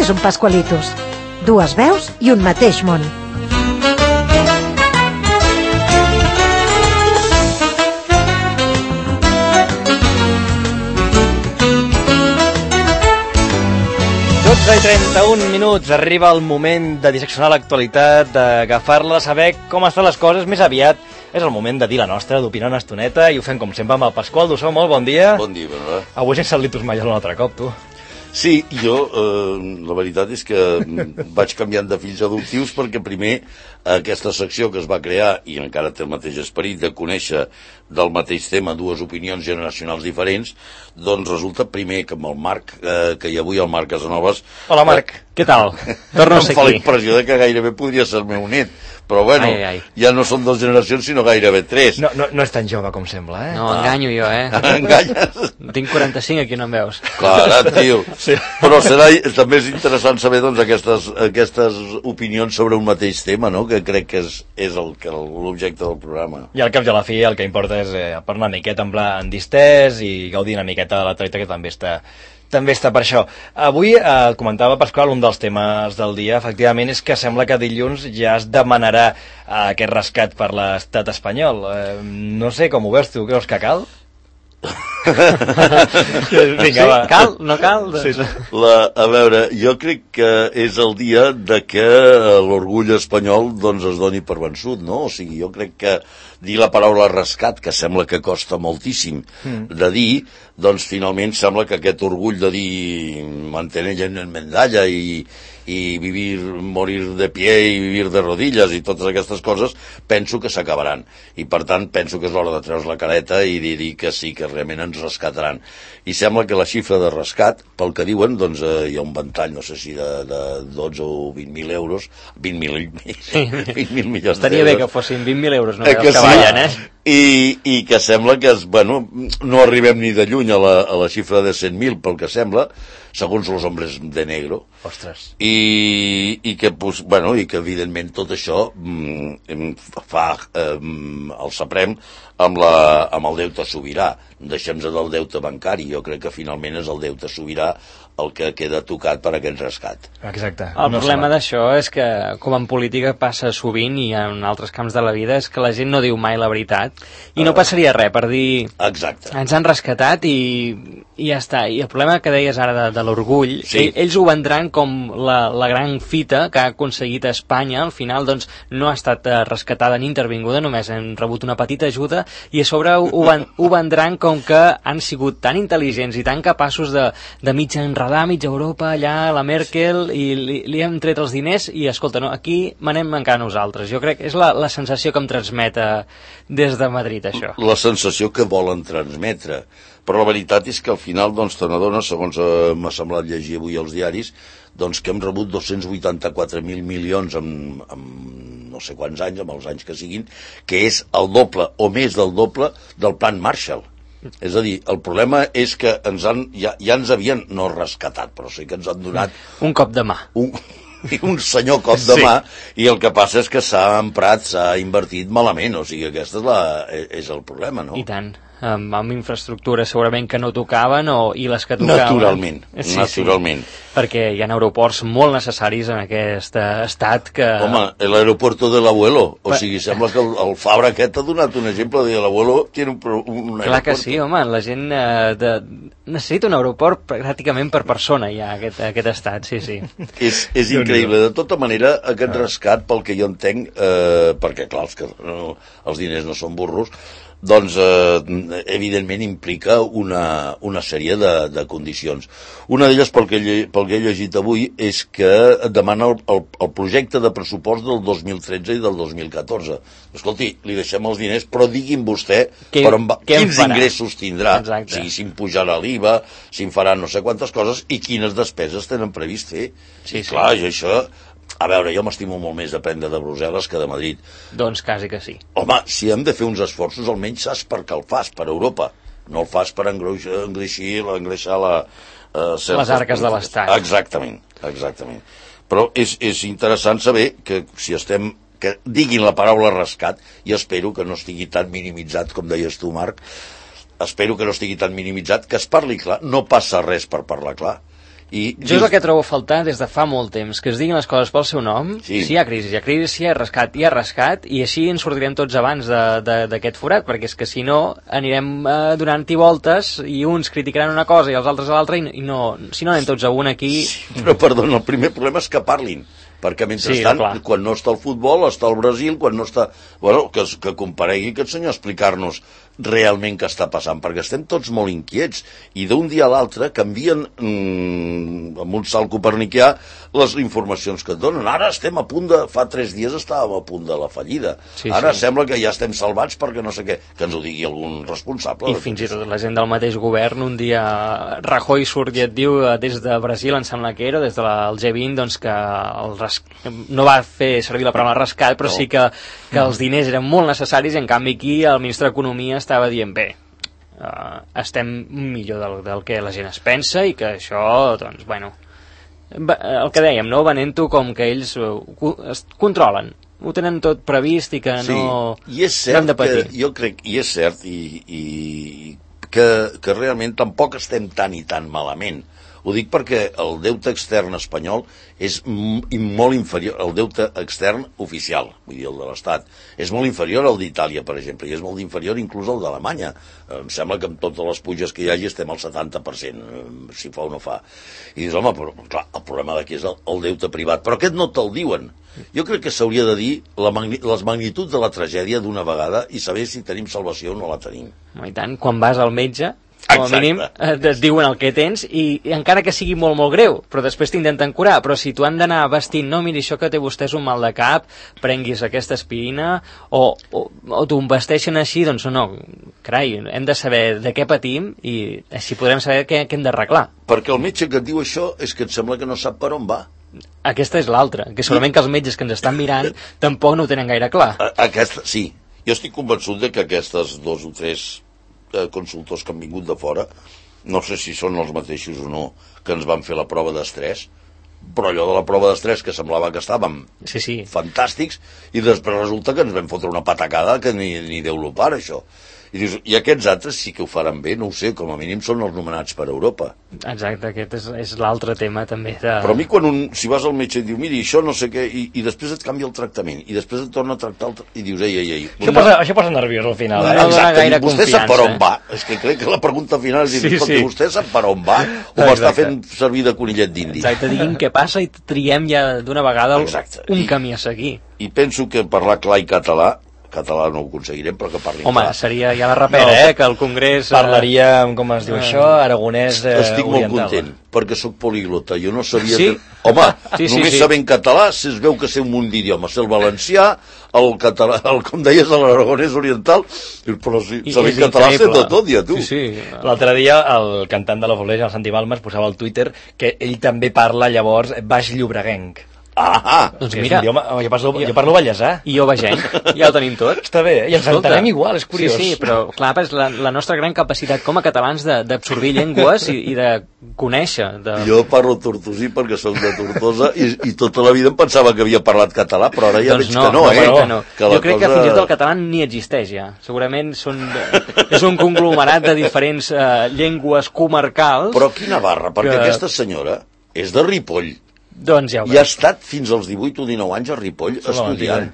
és un Pascualitos. Dues veus i un mateix món. I 31 minuts, arriba el moment de disseccionar l'actualitat, d'agafar-la, saber com estan les coses. Més aviat és el moment de dir la nostra, d'opinar una estoneta, i ho fem com sempre amb el Pasqual Dussó. Molt bon dia. Bon dia, Bernat. Avui sense el Litus Mayol un altre cop, tu. Sí, jo, la veritat és que vaig canviant de fills adoptius perquè primer aquesta secció que es va crear, i encara té el mateix esperit de conèixer del mateix tema dues opinions generacionals diferents, doncs resulta primer que amb el Marc, que hi ha avui el Marc Casanovas... Hola, Marc, què tal? Torno a ser aquí. Em fa la impressió de que gairebé podria ser el meu net, però bueno, ja no són dues generacions, sinó gairebé tres. No és tan jove com sembla, eh? No, enganyo jo, Enganyes? Tinc 45, aquí no em veus. Clar, tio. Sí. Però també és interessant saber doncs, aquestes opinions sobre un mateix tema, no?, que crec que és l'objecte del programa. I al cap i a la fi el que importa és parlar una miqueta en distès i gaudir una miqueta de la treta, que també està per això. Avui, comentava Pasqual, un dels temes del dia, efectivament, és que sembla que dilluns ja es demanarà aquest rescat per l'estat espanyol. No sé com ho veus, tu creus que cal? Vinga, va. Cal? No cal? Sí. A veure, jo crec que és el dia de que l'orgull espanyol doncs, es doni per vençut, no? O sigui, jo crec que dir la paraula rescat, que sembla que costa moltíssim de dir, doncs finalment sembla que aquest orgull de dir mantener en medalla i vivir, morir de pie i vivir de rodilles i totes aquestes coses, penso que s'acabaran. I per tant penso que és l'hora de treure's la careta i dir que sí, que realment ens rescataran. I sembla que la xifra de rescat, pel que diuen, doncs hi ha un ventall, no sé si de 12 o 20.000 euros, 20.000 milions d'euros. Estaria bé que fossin 20.000 euros, no que ballen, I que sembla que, no arribem ni de lluny a la xifra de 100.000, pel que sembla, segons los hombres de negro. Ostres. I que evidentment tot això fa el saprem amb el deute sobirà. Deixem-nos del deute bancari. Jo crec que finalment és el deute sobirà el que queda tocat per aquest rescat. Exacte. El problema d'això és que, com en política passa sovint i en altres camps de la vida, és que la gent no diu mai la veritat i no passaria res per dir exacte. Ens han rescatat i ja està. I el problema que deies ara de l'orgull, sí. Ells ho vendran com la gran fita que ha aconseguit Espanya. Al final doncs, no ha estat rescatada ni intervinguda, només han rebut una petita ajuda i a sobre ho vendran com que han sigut tan intel·ligents i tan capaços de mig enredar mitja Europa allà, la Merkel, i li hem tret els diners i, escolta, no, aquí manem encara nosaltres. Jo crec que és la sensació que em transmet des de Madrid, això. La sensació que volen transmetre. Però la veritat és que al final, doncs, te n'adones, segons m'ha semblat llegir avui als diaris, doncs que hem rebut 284.000 milions en no sé quants anys, amb els anys que siguin, que és el doble o més del doble del plan Marshall. És a dir, el problema és que ja ens havien no rescatat, però sí que ens han donat un cop de mà, un senyor cop de mà, i el que passa és que s'ha emprat, s'ha invertit malament, o sigui, aquest és el problema, no? I tant, amb infraestructures segurament que no tocaven i les que tocaven naturalment. Perquè hi ha aeroports molt necessaris en aquest estat que... Home, l'aeropuerto de l'abuelo, o sigui, sembla que el Fabra aquest ha donat un exemple de l'abuelo tiene un aeroport. Clar que sí, home, la gent necessita un aeroport pràcticament per persona ja, aquest estat, sí. És increïble. De tota manera, aquest rescat, pel que jo entenc, perquè clar, els diners no són burros, doncs evidentment implica una sèrie de condicions. Una d'elles, pel que he llegit avui, és que demana el projecte de pressupost del 2013 i del 2014. Escolti, li deixem els diners, però digui'm vostè quins ingressos tindrà. Exacte. O sigui, si em pujarà l'IVA, si em farà no sé quantes coses i quines despeses tenen previst fer. Sí. Clar, i això... A veure, jo m'estimo molt més d'aprendre de Brussel·les que de Madrid. Doncs quasi que sí. Home, si hem de fer uns esforços, almenys saps per què el fas, per Europa. No el fas per engreixar les arques de l'Estat. Exactament. Però és interessant saber que si que diguin la paraula rescat, i espero que no estigui tan minimitzat, com deies tu, Marc, espero que no estigui tan minimitzat, que es parli clar, no passa res per parlar clar. Jo és el que trobo a faltar des de fa molt temps, que es diguin les coses pel seu nom. Si hi ha crisi, si hi ha rescat, i així ens sortirem tots abans d'aquest forat, perquè és que si no anirem donant-hi voltes i uns criticaran una cosa i els altres a l'altra, i si no anem tots a un aquí... Però, perdona, el primer problema és que parlin, perquè mentrestant, quan no està el futbol, està el Brasil, quan no està... Bueno, que comparegui aquest senyor a explicar-nos realment què està passant, perquè estem tots molt inquiets, i d'un dia a l'altre canvien amb un salt copernicà les informacions que et donen. Ara estem a punt de... Fa 3 dies estàvem a punt de la fallida. Ara sembla que ja estem salvats perquè no sé què, que ens ho digui algun responsable. I fins i tot la gent del mateix govern, un dia Rajoy surt i et diu des de Brasil, em sembla que era, des del G20, doncs que no va fer servir la paraula rescat, però sí que els diners eren molt necessaris, i en canvi aquí el ministre d'Economia estava dient, bé, estem millor del que la gent es pensa, i que això, doncs, bueno, el que dèiem, no? Venent-ho com que ells es controlen, ho tenen tot previst i que no hem de patir. Jo crec, i és cert, i que realment tampoc estem tan i tan malament. Ho dic perquè el deute extern espanyol és molt inferior, el deute extern oficial, vull dir, el de l'Estat, és molt inferior al d'Itàlia, per exemple, i és molt inferior inclús al d'Alemanya. Em sembla que amb totes les puges que hi hagi estem al 70%, si fa o no fa. I dius, home, però clar, el problema d'aquí és el deute privat, però aquest no te'l diuen. Jo crec que s'hauria de dir les magnituds de la tragèdia d'una vegada i saber si tenim salvació o no la tenim. I tant, quan vas al metge, com a mínim et diuen el que tens, i encara que sigui molt, molt greu, però després t'intenten curar. Però si tu han d'anar vestint, no, miri, això que té vostè és un mal de cap, prenguis aquesta aspirina, o t'ho vesteixen així, doncs no, carai, hem de saber de què patim i així podrem saber què hem d'arreglar. Perquè el metge que et diu això és que et sembla que no sap per on va. Aquesta és l'altra, que segurament que els metges que ens estan mirant tampoc no ho tenen gaire clar. Sí, jo estic convençut de que aquestes 2 o 3 consultors que han vingut de fora, no sé si són els mateixos o no, que ens van fer la prova d'estrès, però allò de la prova d'estrès que semblava que estàvem fantàstics, i després resulta que ens vam fotre una patacada que ni Déu lo para, això. I dius, i aquests altres sí que ho faran bé, no ho sé, com a mínim són els nomenats per Europa. Exacte, aquest és l'altre tema també Però a mi si vas al metge i diu, miri, això no sé què, i després et canvia el tractament, i després et torna a tractar i dius, ei. Això posa nerviós al final. Exacte, vostè sap per on va. És que crec que la pregunta final és dir, escolta, vostè sap per on va o m'està fent servir de conillet d'indi? Exacte, diguin què passa i triem ja d'una vegada un camí a seguir. I penso que parlar clar i català no ho aconseguirem, però que parlin clar. Home, seria ja la rapera, que el Congrés... Parlaríem, com es diu això, aragonès oriental. Estic molt content, perquè sóc poliglota. Jo no sabia... Home, només sabent català, si es veu que sé un munt d'idiomes. Sé el valencià, el català, com deies, l'aragonès oriental, però sabent català sé tot, ja, tu. L'altre dia, el cantant de la Foleja, el Santi Balmes, posava al Twitter que ell també parla, llavors, baix llobreguenc. Doncs mira, jo parlo ballesà. I jo vegenc, ja ho tenim tot. Està bé, i ens entenem igual, és curiós. Sí, però clar, és la nostra gran capacitat com a catalans d'absorbir llengües i de conèixer. Jo parlo tortosí perquè soc de Tortosa i tota la vida em pensava que havia parlat català, però ara ja veig que no, Jo crec que fins i tot el català ni existeix ja. Segurament és un conglomerat de diferents llengües comarcals. Però quina barra, perquè aquesta senyora és de Ripoll. Doncs ja ho i ha estat fins als 18 o 19 anys a Ripoll estudiant.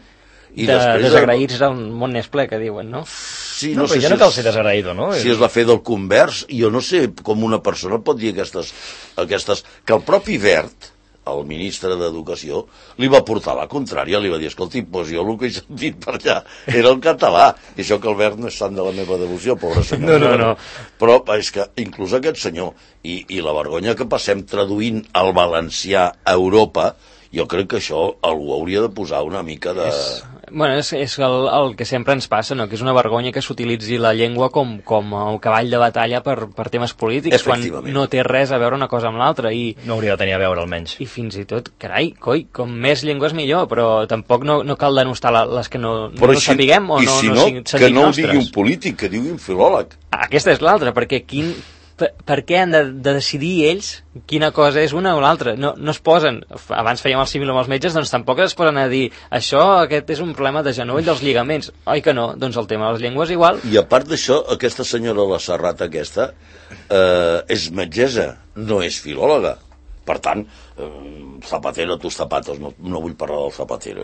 I desagraïts del món n'és ple, que diuen, no? Sí, no sé, ja no cal ser desagraïdo, no? Si és la fe del convers, jo no sé com una persona pot dir aquestes que el propi Wert, el ministre d'Educació, li va portar la contrària, li va dir, escolti, doncs jo el que he sentit per allà era el català, i això que el Wert no és sant de la meva devoció, pobre senyor. No. Però és que inclús aquest senyor, i la vergonya que passem traduint el valencià a Europa, jo crec que això algú hauria de posar una mica de... És el que sempre ens passa, no? Que és una vergonya que s'utilitzi la llengua com el cavall de batalla per temes polítics, quan no té res a veure una cosa amb l'altra. No hauria de tenir a veure, almenys. I fins i tot, carai, com més llengües millor, però tampoc no cal denostar les que no sapiguem o no sentim nostres. Que no ho digui un polític, que digui un filòleg. Aquesta és l'altra, perquè per què han de decidir ells quina cosa és una o l'altra? No es posen, abans fèiem el símil amb els metges, doncs tampoc es posen a dir aquest és un problema de genoll dels lligaments. Oi que no? Doncs el tema de les llengües igual. I a part d'això, aquesta senyora, la Serrat aquesta, és metgessa, no és filòloga. Per tant, Zapatero, tus zapatos, no vull parlar del Zapatero.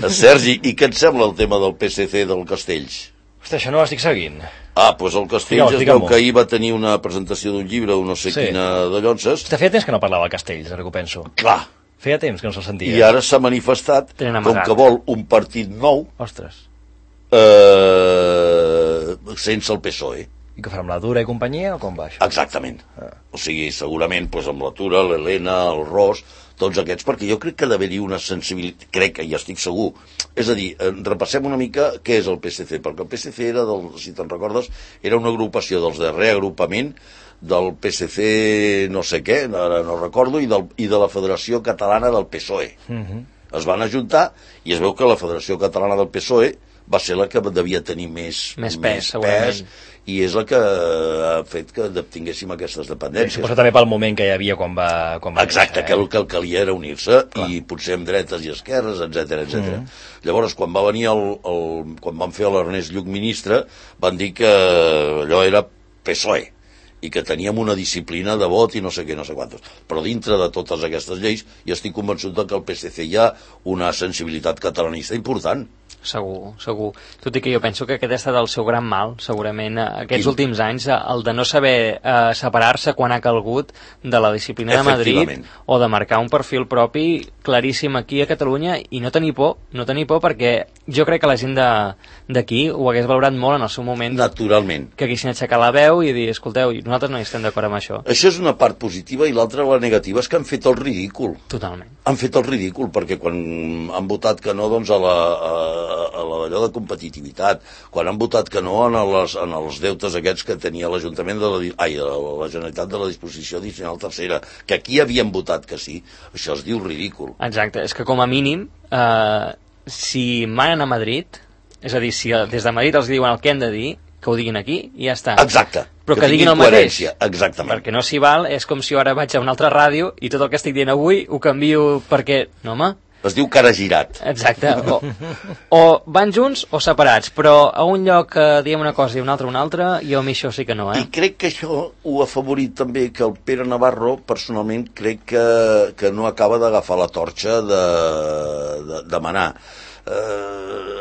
Sergi, i què et sembla el tema del PSC del Castells? Hosti, això no ho estic seguint. Doncs el Castells es veu que ahir va tenir una presentació d'un llibre o no sé quina de llonces. Hosti, feia temps que no parlava del Castells, ara que ho penso. Clar. Feia temps que no se'l sentia. I ara s'ha manifestat com que vol un partit nou. Ostres. Sense el PSOE. I que farà amb la Dura i companyia o com va això? Exactament. O sigui, segurament amb la Tura, l'Helena, el Ros, tots aquests, perquè jo crec que ha d'haver-hi una sensibilitat, crec que ja estic segur. És a dir, repassem una mica què és el PSC, perquè el PSC era, si te'n recordes, era una agrupació dels de reagrupament del PSC no sé què, ara no recordo, i de la Federació Catalana del PSOE. Es van ajuntar i es veu que la Federació Catalana del PSOE va ser la que devia tenir més pes, i és la que ha fet que tinguéssim aquestes dependències. Suposo també pel moment que hi havia quan va Exacte, que el que calia era unir-se, i potser amb dretes i esquerres, etc. Llavors, quan va venir quan van fer l'Ernest Lluch ministre, van dir que allò era PSOE, i que teníem una disciplina de vot i no sé què, no sé quantos. Però dintre de totes aquestes lleis, jo estic convençut que al PSC hi ha una sensibilitat catalanista important. Segur. Tot i que jo penso que aquest ha estat el seu gran mal, segurament, aquests últims anys, el de no saber separar-se quan ha calgut de la disciplina de Madrid, o de marcar un perfil propi claríssim aquí a Catalunya, i no tenir por perquè jo crec que la gent d'aquí ho hagués valorat molt en el seu moment. Naturalment. Que haguessin aixecat la veu i dir, escolteu, nosaltres no hi estem d'acord amb això. Això és una part positiva, i l'altra, la negativa, és que han fet el ridícul. Totalment. Han fet el ridícul, perquè quan han votat que no, doncs, a allò de competitivitat, quan han votat que no en els deutes aquests que tenia l'Ajuntament de la Generalitat de la Disposició Addicional Tercera, que aquí havien votat que sí, això es diu ridícul. Exacte, és que com a mínim, si manen a Madrid, és a dir, si des de Madrid els diuen el que han de dir, que ho diguin aquí i ja està. Exacte. Però que diguin el mateix. Exactament. Perquè no s'hi val, és com si jo ara vaig a una altra ràdio i tot el que estic dient avui ho canvio perquè... No, home. Es diu cara girat. Exacte. O van junts o separats, però a un lloc diem una cosa i un altre, jo a mi això sí que no, I crec que això ho ha afavorit també que el Pere Navarro, personalment, crec que no acaba d'agafar la torxa de manar.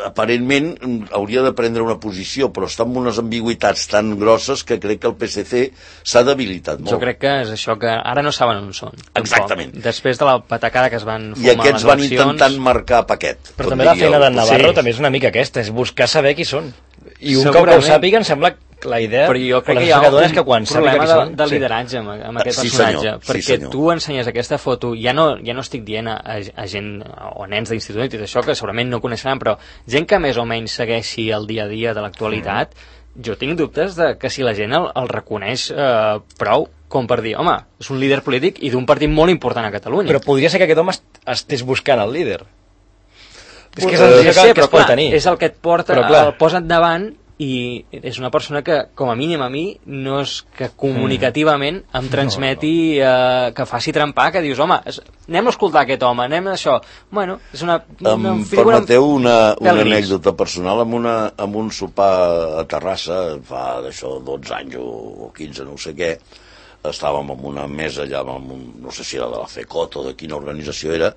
Aparentment hauria de prendre una posició, però està amb unes ambigüitats tan grosses que crec que el PSC s'ha debilitat molt. Jo crec que és això, que ara no saben on són. Exactament. Després de la patacada que es van fumar i aquests van intentant marcar paquet. Però també la feina d'en Navarro també és una mica aquesta, és buscar saber qui són. I un cop que ho sàpiguen sembla la idea, però jo crec que hi ha un problema de lideratge amb aquest personatge, perquè tu ensenyes aquesta foto, ja no estic dient a gent o nens d'institut i tot això, que segurament no coneixeran, però gent que més o menys segueixi el dia a dia de l'actualitat, jo tinc dubtes de que si la gent el reconeix prou com per dir, home, és un líder polític i d'un partit molt important a Catalunya. Però podria ser que aquest home estés buscant el líder. És que és el que es pot tenir. És el que et porta, el posa endavant, i és una persona que, com a mínim a mi, no és que comunicativament em transmeti que faci trempar, que dius, home, anem a escoltar aquest home, anem a això. Bueno, és una figura... Permeteu una anècdota personal. Amb un sopar a Terrassa, fa d'això 12 anys o 15, no sé què, estàvem en una mesa allà, no sé si era de la FECOT o de quina organització era,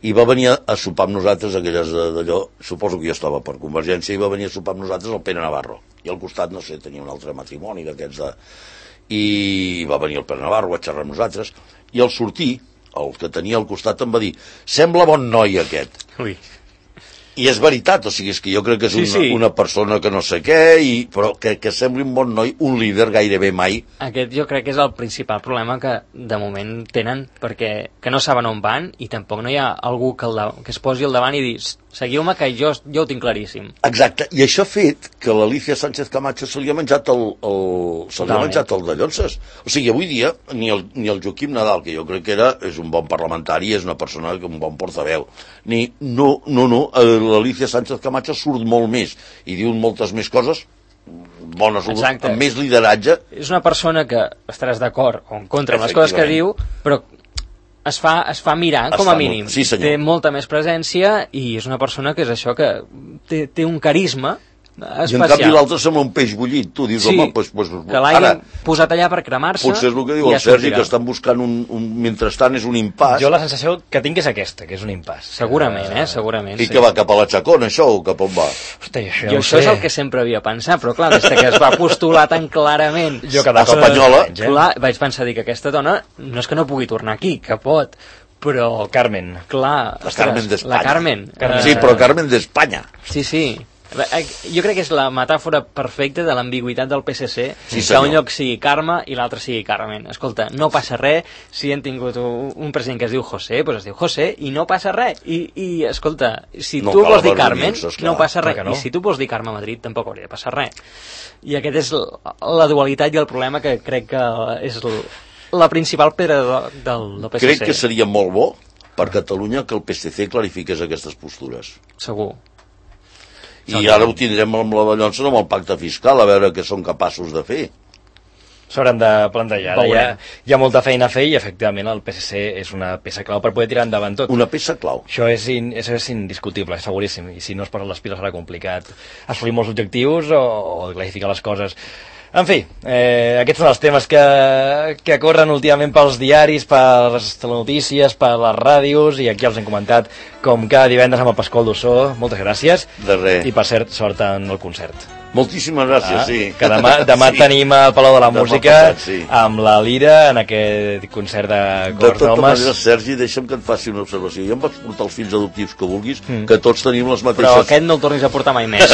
i va venir a sopar amb nosaltres aquelles d'allò, suposo que jo estava per Convergència, i va venir a sopar amb nosaltres el Pere Navarro, i al costat, no sé, tenia un altre matrimoni d'aquests i va venir el Pere Navarro, va xerrar amb nosaltres, i al sortir, el que tenia al costat em va dir, sembla bon noi aquest. Ui. I és veritat, o sigui, és que jo crec que és una persona que no sé què, però que sembli un bon noi, un líder gairebé mai. Aquest jo crec que és el principal problema que de moment tenen, perquè que no saben on van i tampoc no hi ha algú que es posi al davant i dir, seguiu-me que jo ho tinc claríssim. Exacte, i això ha fet que l'Alicia Sánchez Camacho se li ha menjat el de Llonses. O sigui, avui dia ni el Joaquim Nadal, que jo crec que és un bon parlamentari, és una persona, un bon portaveu, l'Alicia Sánchez Camacho surt molt més i diu moltes més coses bones, amb més lideratge. És una persona que estaràs d'acord o en contra amb les coses que diu, però es fa mirar, com a mínim. Sí, té molta més presència i és una persona que és això, que té un carisma I en canvi l'altre sembla un peix bullit. Tu dius, home, que l'hagin posat allà per cremar-se. Potser és el que diu el Sergi, que estan buscant mentrestant és un impàs. Jo la sensació que tinc és aquesta, que és un impàs. Segurament, segurament. I que va cap a la Chacona, això, o cap on va? Hosti, això és el que sempre havia pensat, però clar, des que es va postular tan clarament a Espanyola, clar, vaig pensar dir que aquesta dona no és que no pugui tornar aquí, que pot, però... Carmen. Clar, la Carmen d'Espanya. La Carmen. Sí, però Carmen d'Espanya. Sí. Jo crec que és la metàfora perfecta de l'ambigüitat del PSC, que un lloc sigui Carme i l'altre sigui Carmen. Escolta, no passa res si hem tingut un president que es diu José, doncs es diu José i no passa res. I escolta, si tu vols dir Carmen, no passa res. I si tu vols dir Carme a Madrid, tampoc hauria de passar res. I aquest és la dualitat i el problema que crec que és la principal pedra del PSC. Crec que seria molt bo per Catalunya que el PSC clarifiqués aquestes postures. Segur. I ara ho tindrem amb la Ballonsa, amb el pacte fiscal, a veure què són capaços de fer. S'hauran de plantejar. Hi ha molta feina a fer i, efectivament, el PSC és una peça clau per poder tirar endavant tot. Una peça clau. Això és indiscutible, seguríssim. I si no es posen les piles serà complicat assolir molts objectius o clarificar les coses. En fi, aquests són els temes que corren últimament pels diaris, per les telenotícies, per les ràdios, i aquí els hem comentat com cada divendres amb el Pasqual Dussó. Moltes gràcies. De res. I per cert, sort en el concert. Moltíssimes gràcies, sí. Que demà tenim al Palau de la Música amb la Lira en aquest concert de cors d'homes. De tota manera, Sergi, deixa'm que et faci una observació. Jo em vaig portar els fills adoptius que vulguis, que tots tenim les mateixes... Però aquest no el tornis a portar mai més.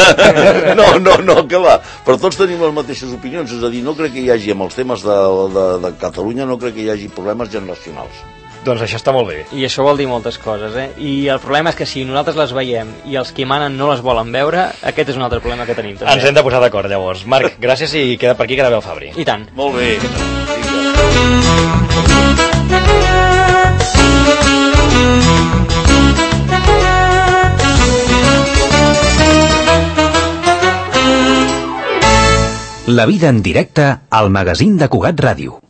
No, que va. Però tots tenim les mateixes opinions, és a dir, no crec que hi hagi, amb els temes de Catalunya, no crec que hi hagi problemes generacionals. Doncs això està molt bé. I això vol dir moltes coses, I el problema és que si nosaltres les veiem i els qui manen no les volen veure, aquest és un altre problema que tenim també. Ens hem de posar d'acord, llavors. Marc, gràcies i queda per aquí, queda bé el Fabri. I tant. Molt bé. La vida en directe al magazín de Cugat Ràdio.